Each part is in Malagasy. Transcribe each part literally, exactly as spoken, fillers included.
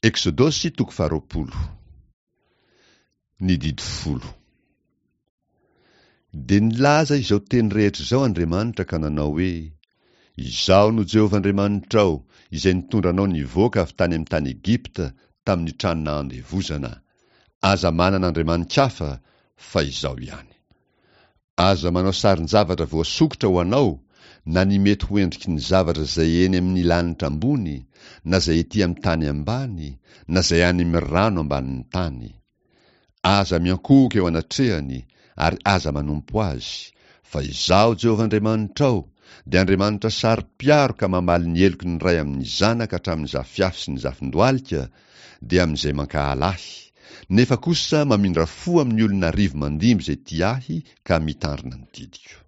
Eksodosy toko faharoapolo. Ny didy folo. Dia nilaza izao teny rehetra izao Andriamanitra ka nanao hoe, Izaho no Jehovah Andriamanitrao, izay nitondra anao nivoaka avy tany amin'ny tany Egypta, tamin'ny trano nahandevozana. Aza manana andriamani-kafa, fa Izaho ihany. Aza manao sarin-javatra voasokitra ho anao, na ny mety ho endriky ny zavatra izay eny amin'ny lanitra ambony, na izay ety amin'ny tany ambany, na izay any amin'ny rano ambanin'ny tany. Aza miankohoka eo anatrehany, ary aza manompo azy, fa Izaho Jehovah Andriamanitrao, dia Andriamanitra saro-piaro ka mamaly ny heloky ny ray amin'ny zanaka hatramin'ny zafiafy sy ny zafindohalika, dia amin'izay mankahala ahy, nefa kosa mamindra fo amin'ny olona arivo mandimby izay tia ahy ka mitandrina ny didiko.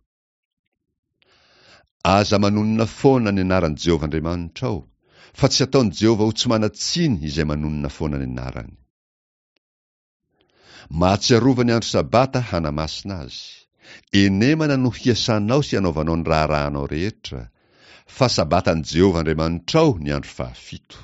Aza manonona foana ny anaran'i Jehovah Andriamanitrao, fa tsy hataon'i Jehovah ho tsy manan-tsiny izay manonona foana ny anarany. Mahatsiarova ny andro Sabata hanamasina azy. Enemana no hiasanao sy hanaovanao ny raharahanao rehetra, fa Sabatan'i Jehovah Andriamanitrao ny andro fahafito.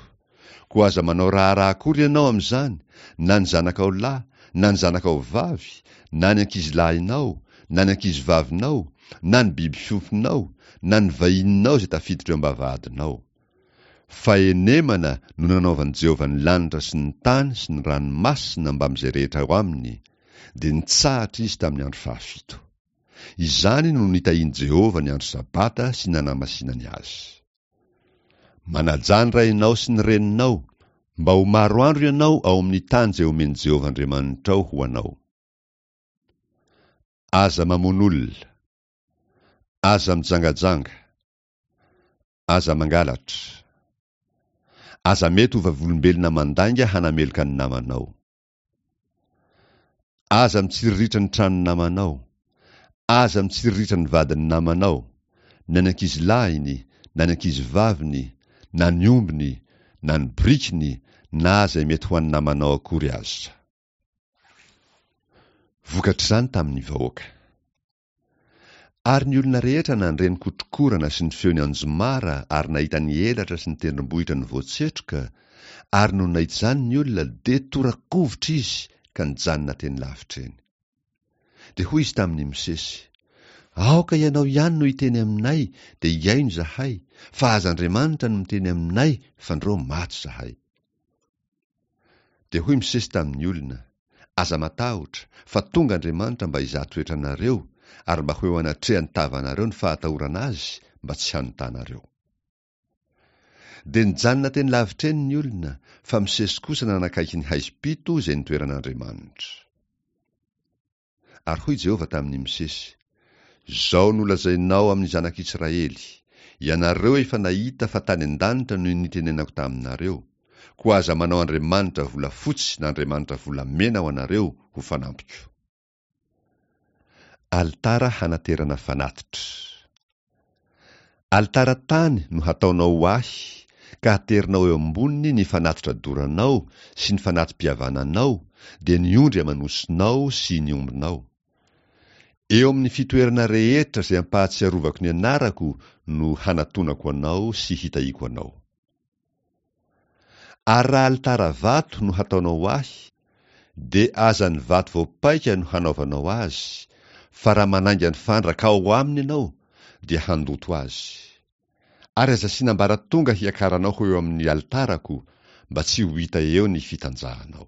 Koa aza manao raharaha akory ianao amin'izany, na ny zanakao lahy, na ny zanakao vavy, na ny ankizilahinao, na ny ankizivavinao, na ny biby fiompinao, na ny vahininao izay tafiditra eo am-bavahadinao. Fa enemana no nanaovan'i Jehovah ny lanitra sy ny tany sy ny ranomasina mbamin'izay rehetra ao aminy, dia nitsahatra izy tamin'ny andro fahafito. Izany no nitahian'i Jehovah ny andro Sabata sy nanamasinany azy. Manajà ny rainao sy ny reninao, mba ho maro andro ianao ao amin'ny tany izay omen'i Jehovah Andriamanitrao ho anao. Aza mamono olona. Aza mijangajanga. Aza mangalatra. Aza mety ho vavolombelona mandainga hanameloka ny namanao. Aza mitsiriritra ny tranon'ny namanao. Aza mitsiriritra ny vadin'ny namanao, na ny ankizilahiny, na ny ankizivaviny, na ny ombiny, na ny borikiny, na izay mety ho an'ny namanao akory aza. Vokatr'izany tamin'ny vahoaka. Ary ny olona rehetra nandre ny kotrokorana sy ny feon'ny anjomara ary nahita ny elatra sy ny tendrombohitra nivoatsetroka, ary nony nahita izany ny olona, dia tora-kovitra izy ka nijanona teny lavitra eny. Dia hoy izy tamin'i Mosesy, Aoka ianao ihany no hiteny aminay, dia hihaino izahay, fa aza Andriamanitra no miteny aminay, fandrao maty izahay. Dia hoy Mosesy tamin'ny olona, Aza matahotra, fa tonga Andriamanitra mba hizaha toetra anareo, ary mba ho eo anatrehan'ny tavanareo ny fahatahorana Azy, mba tsy hanotanareo. Dia nijanona teny lavitra eny ny olona, fa Mosesy kosa nanakaiky ny haizim-pito izay nitoeran'Andriamanitra. Ary hoy Jehovah tamin'i Mosesy, Izao no lazainao amin'ny zanak'Israely, Ianareo efa nahita fa tany an-danitra no nitenenako taminareo, koa aza manao andriamanitra volafotsy na andriamanitra volamena ho anareo ho fanampiko. Alitara hanaterana fanatitra. Alitara tany no hataonao ho Ahy, ka haterinao eo amboniny ny fanatitra doranao sy ny fanati-pihavananao, dia ny ondry aman'osinao sy ny ombinao. Eo amin'ny fitoerana rehetra izay ampahatsiarovako ny anarako no hanatonako anao sy hitahiako anao. Ary raha alitara vato no hataonao ho Ahy, dia aza ny vato voapaika no hanaovanao azy, fa raha manainga ny fandraka ao aminy ianao, dia handoto azy. Ary aza asiana ambaratonga hiakaranao ho eo amin'ny alitarako, mba tsy ho hita eo ny fitanjahanao.